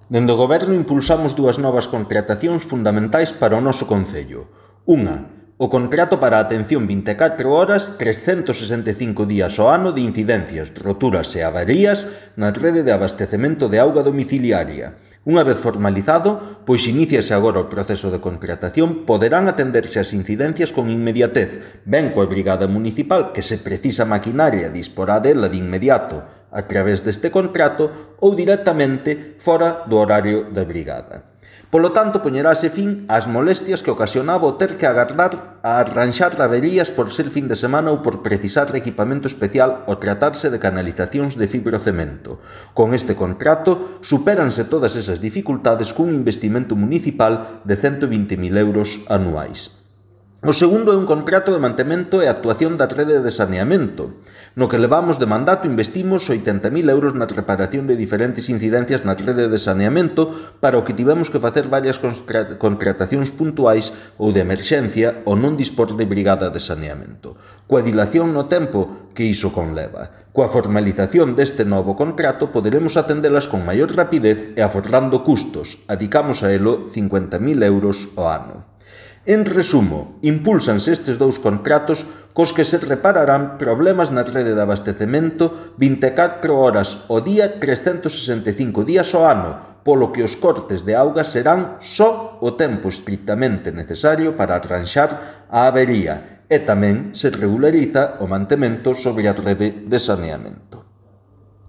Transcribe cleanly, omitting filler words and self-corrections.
Dende o Goberno impulsamos dúas novas contratacións fundamentais para o noso concello. Unha, o contrato para a atención 24 horas, 365 días ao ano de incidencias, roturas e avarías na rede de abastecemento de auga domiciliaria. Unha vez formalizado, pois iníciase agora o proceso de contratación, poderán atenderse as incidencias con inmediatez, ben coa brigada municipal que se precisa maquinaria disporá dela de inmediato a través deste contrato ou directamente fora do horario da brigada. Polo tanto, poñerase fin ás molestias que ocasionaba o ter que agardar a arranxar averías por ser fin de semana ou por precisar de equipamento especial ou tratarse de canalizacións de fibrocemento. Con este contrato, supéranse todas esas dificultades cun investimento municipal de 120.000 euros anuais. O segundo é un contrato de mantemento e actuación da rede de saneamento. No que levamos de mandato investimos 80.000 euros na reparación de diferentes incidencias na rede de saneamento, para o que tivemos que facer varias contratacións puntuais ou de emerxencia ou non dispor de brigada de saneamento. Coa dilación no tempo que iso conleva. Coa formalización deste novo contrato poderemos atendelas con maior rapidez e aforrando custos. Adicamos a elo 50.000 euros ao ano. En resumo, impúlsanse estes dous contratos cos que se repararán problemas na rede de abastecemento 24 horas ao día, 365 días ao ano, polo que os cortes de auga serán só o tempo estritamente necesario para arranxar a avería e tamén se regulariza o mantemento sobre a rede de saneamento.